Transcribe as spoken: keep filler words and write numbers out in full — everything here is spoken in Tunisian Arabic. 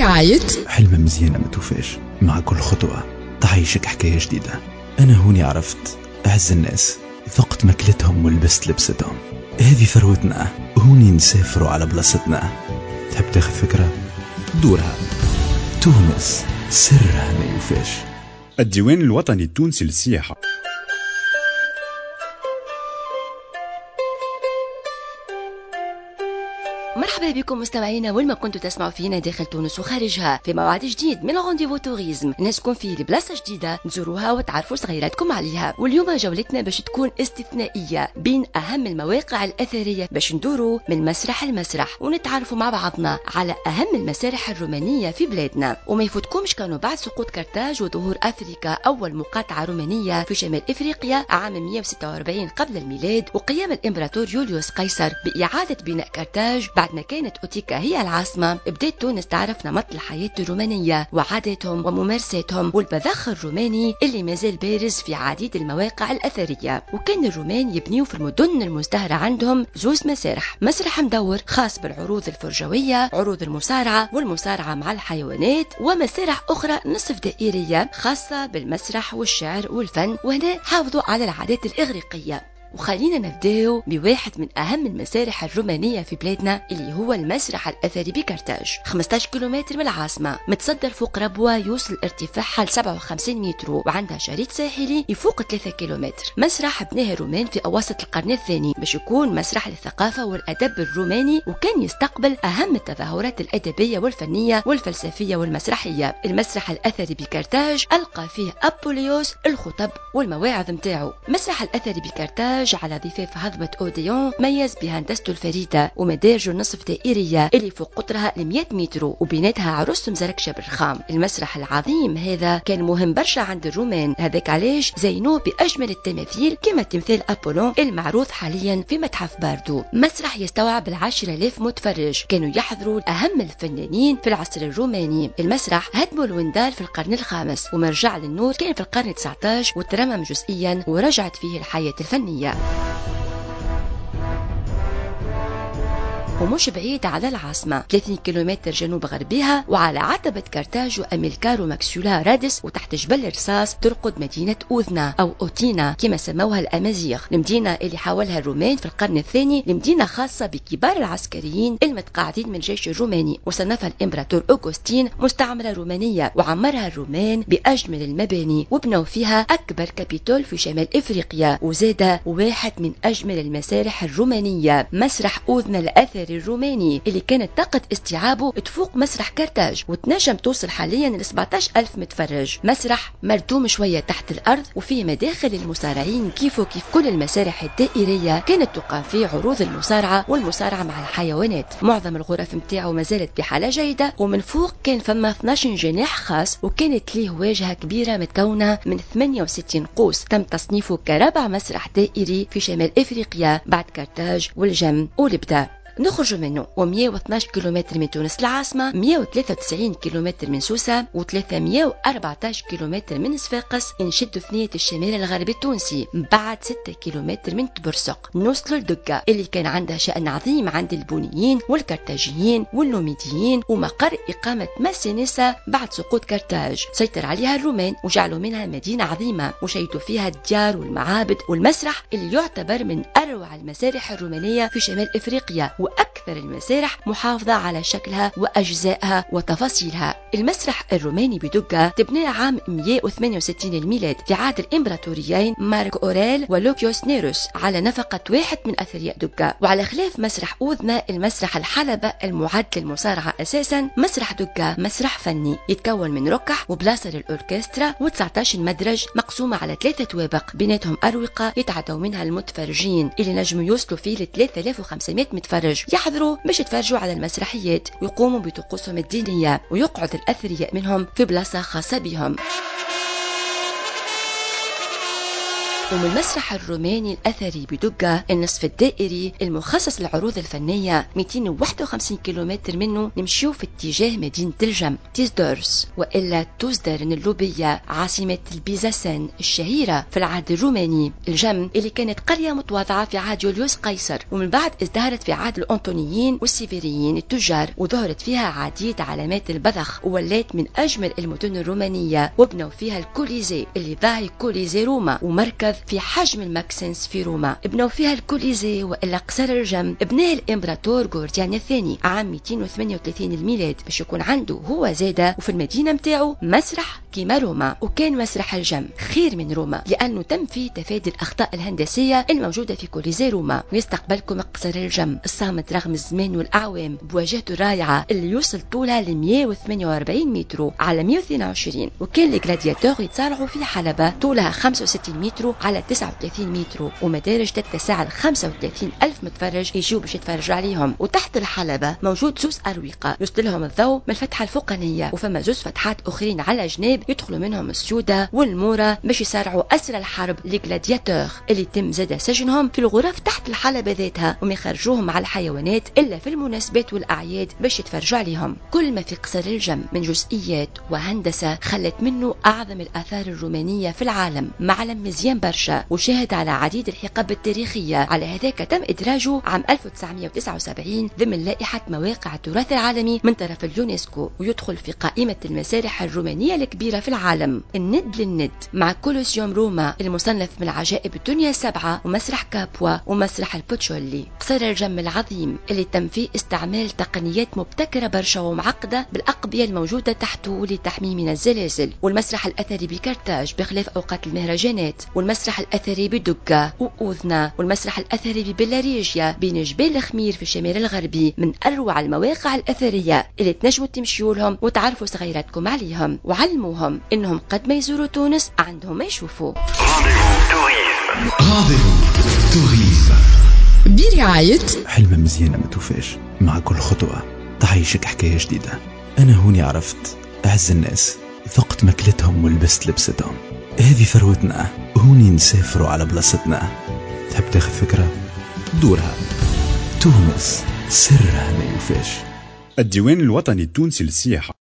برعاية حلمة مزيانة ما توفاش، مع كل خطوة تعيشك حكاية جديدة. أنا هوني عرفت أعز الناس، ذقت ماكلتهم ولبست لبستهم. هذه ثروتنا، هوني نسافروا على بلاصتنا. تحب تاخذ فكرة؟ دورها. تونس سرها ما يوفاش. الديوان الوطني التونسي للسياحة. مرحبا بكم مستمعينا وين ما كنتوا تسمعوا فينا داخل تونس وخارجها في موعد جديد من rendez-vous tourisme، نسكن فيه لبلاصه جديدة تزوروها وتعرفوا صغيراتكم عليها. واليوم جولتنا باش تكون استثنائية بين اهم المواقع الاثرية باش ندوروا من مسرح لمسرح ونتعرفوا مع بعضنا على اهم المسارح الرومانية في بلادنا. وما يفوتكمش كانوا بعد سقوط كرتاج وظهور افريكا اول مقاطعه رومانية في شمال افريقيا عام مئة وستة وأربعين قبل الميلاد، وقيام الامبراطور يوليوس قيصر باعادة بناء كرتاج بعد ما كانت أوتيكا هي العاصمة. بدأت تونس تعرف نمط الحياة الرومانية وعاداتهم وممارساتهم والبذخ الروماني اللي مازال بارز في عديد المواقع الأثرية. وكان الرومان يبنيوا في المدن المزدهرة عندهم زوز مسارح، مسرح مدور خاص بالعروض الفرجوية، عروض المصارعة والمصارعة مع الحيوانات، ومسارح أخرى نصف دائرية خاصة بالمسرح والشعر والفن، وهنا حافظوا على العادات الإغريقية. وخلينا نبداو بواحد من أهم المسارح الرومانية في بلادنا اللي هو المسرح الأثري بكرتاج، خمسة عشر كيلومتر من العاصمة، متصدر فوق ربوة يوصل ارتفاعها ل سبعة وخمسين متر وعندها شريط ساحلي يفوق ثلاثة كيلومتر. مسرح بناه الرومان في أواسط القرن الثاني باش يكون مسرح للثقافة والأدب الروماني، وكان يستقبل أهم التظاهرات الأدبية والفنية والفلسفية والمسرحية. المسرح الأثري بكرتاج ألقى فيه أبوليوس الخطب والمواعظ متاعه. مسرح الأثري بكرتاج على ضفاف هضبة أوديون ميز بهندسته الفريدة ومدارجه النصف دائرية اللي فوق قطرها مئة متر وبناتها عروس مزركشة بالرخام. المسرح العظيم هذا كان مهم برشا عند الرومان، هذاك علاش زينوه بأجمل التماثيل كما تمثال أبولون المعروض حاليا في متحف باردو. مسرح يستوعب العشرة آلاف متفرج كانوا يحضروا أهم الفنانين في العصر الروماني. المسرح هدموا الوندال في القرن الخامس ومرجع للنور كان في القرن التاسع عشر وترمم جزئيا ورجعت فيه الحياة الفنية. ومش بعيد على العاصمة ثلاثين كيلومتر جنوب غربها، وعلى عتبة كرتاج وأميلكار وماكسولا رادس وتحت جبل الرصاص ترقد مدينة أوذنا أو أوتينا كما سموها الأمازيغ، المدينة اللي حاولها الرومان في القرن الثاني، لمدينة خاصة بكبار العسكريين المتقاعدين من الجيش الروماني، وصنفها الإمبراطور أوغوستين مستعمرة رومانية، وعمرها الرومان بأجمل المباني وبنوا فيها أكبر كابيتول في شمال إفريقيا، وزاد واحد من أجمل المسارح الرومانية مسرح أوذنا الأثري الروماني اللي كانت طاقة استيعابه تفوق مسرح كرتاج وتنجم توصل حاليا ل سبعة عشر ألف متفرج. مسرح مردوم شوية تحت الأرض وفيه مداخل المصارعين كيف وكيف كل المسارح الدائرية كانت تقام فيه عروض المصارعة والمصارعة مع الحيوانات. معظم الغرف متاعه ما زالت بحالة جيدة، ومن فوق كان فما اثنا عشر جناح خاص، وكانت ليه واجهة كبيرة متكونة من ثمانية وستين قوس. تم تصنيفه كرابع مسرح دائري في شمال إفريقيا بعد كرتاج والجم ولبدا. نخرج منه ومئة واثناش كيلومتر من تونس العاصمة، مئة وثلاثة وتسعين كيلومتر من سوسة، وثلاثمئة وأربعة عشر كيلومتر من صفاقس. نشدوا ثنية الشمال الغربي التونسي بعد ستة كيلومتر من تبرسق نوصلوا لدقة اللي كان عندها شأن عظيم عند البونيين والكرتاجيين والنوميديين، ومقر إقامة ماسينيسا بعد سقوط كرتاج. سيطر عليها الرومان وجعلوا منها مدينة عظيمة وشيدوا فيها الديار والمعابد والمسرح اللي يعتبر من أروع المسارح الرومانية في شمال إفريقيا وأكثر المسارح محافظة على شكلها وأجزائها وتفاصيلها. المسرح الروماني بدقة تبنى عام مئة وثمانية وستين الميلاد في عهد الإمبراطوريين مارك أوريل ولوكيوس نيروس على نفقة واحد من أثرياء دقة. وعلى خلاف مسرح أوذنا المسرح الحلبة المعد للمصارعة أساسا، مسرح دقة مسرح فني يتكون من ركح وبلاصة للأوركسترا وتسعة عشر مدرج مقسومة على ثلاثة طوابق بيناتهم أروقة يتعدوا منها المتفرجين اللي نجموا يوصلوا فيه ل ثلاثة آلاف وخمسمئة متفرج يحضروا باش يتفرجوا على المسرحيات ويقوموا بطقوسهم الدينية، ويقعد الأثرياء منهم في بلاصة خاصة بهم. ومن المسرح الروماني الأثري بدقة النصف الدائري المخصص للعروض الفنية مئتين وواحد وخمسين كيلومتر منه نمشيو في اتجاه مدينة الجم تيزدورس وإلا توزدرن اللوبية، عاصمة البيزاسان الشهيرة في العهد الروماني. الجم اللي كانت قرية متواضعة في عهد يوليوس قيصر، ومن بعد ازدهرت في عهد الأنطونيين والسيفيريين التجار، وظهرت فيها عديد علامات البذخ وولات من أجمل المدن الرومانية، وبنوا فيها الكوليزي اللي ضاهي كوليزي روما ومركز في حجم الماكسنس في روما. بنوا فيها الكوليزي وإلا قصر الجم بناه الإمبراطور غورديان الثاني عام مئتين وثمانية وثلاثين الميلاد باش يكون عنده هو زادة وفي المدينة متاعه مسرح كيما روما. وكان مسرح الجم خير من روما لأنه تم فيه تفادي الأخطاء الهندسية الموجودة في كوليزي روما. ويستقبلكم قصر الجم الصامت رغم الزمان والأعوام بواجهته الرائعة اللي يوصل طولها ل مئة وثمانية وأربعين متر على مئة واثنين وعشرين، وكان ال gladiateurs يتصارعوا في حلبة طولها خمسة وستين متر على تسعة وثلاثين متر، ومدارج تتسع ل خمسة وثلاثين ألف متفرج يجوا باش يتفرجوا عليهم. وتحت الحلبة موجود زوز أروقة يوصل لهم الضوء من الفتحة الفوقانية، وفما زوز فتحات أخرين على جناب يدخلوا منهم السودة والمورة باش يسارعوا أسرى الحرب les gladiateurs اللي تم زاد سجنهم في الغرف تحت الحلبة ذاتها، وما يخرجوهم على الحيوانات إلا في المناسبات والأعياد باش يتفرجوا عليهم. كل ما في قصر الجم من جزئيات وهندسة خلت منه أعظم الآثار الرومانية في العالم، معلم مزيان برشا وشاهد على عديد الحقب التاريخية. على هذاك تم إدراجه عام ألف وتسعمئة وتسعة وسبعين ضمن لائحة مواقع التراث العالمي من طرف اليونسكو، ويدخل في قائمة المسارح الرومانية الكبيرة في العالم. الند للند مع كولوسيوم روما المصنف من عجائب الدنيا السبعة، ومسرح كابوا ومسرح البوتشولي. قصر الجم العظيم اللي تم فيه استعمال تقنيات مبتكرة برشا ومعقدة بالأقبية الموجودة تحته لتحميه من الزلازل، والمسرح الأثري بكرتاج بخلاف أوقات المهرجانات، والمسرح الأثري بدقة وأوذنا، والمسرح الأثري ببلاريجيا بين جبال الخمير في الشمال الغربي، من أروع المواقع الأثرية اللي تنجموا تمشيوا لهم وتعرفوا صغيراتكم عليهم وعلموهم إنهم قد ما يزوروا تونس عندهم ما يشوفوا. Rendez-vous tourisme برعاية حلمة مزيانة ما توفاش، مع كل خطوة تعيشك حكاية جديدة. أنا هوني عرفت أعز الناس، ذقت ماكلتهم ولبست لبستهم. هذه ثروتنا، هوني نسافروا على بلاصتنا. تحب تاخذ فكرة؟ دورها. تونس سرها ما يوفاش. الديوان الوطني التونسي للسياحة.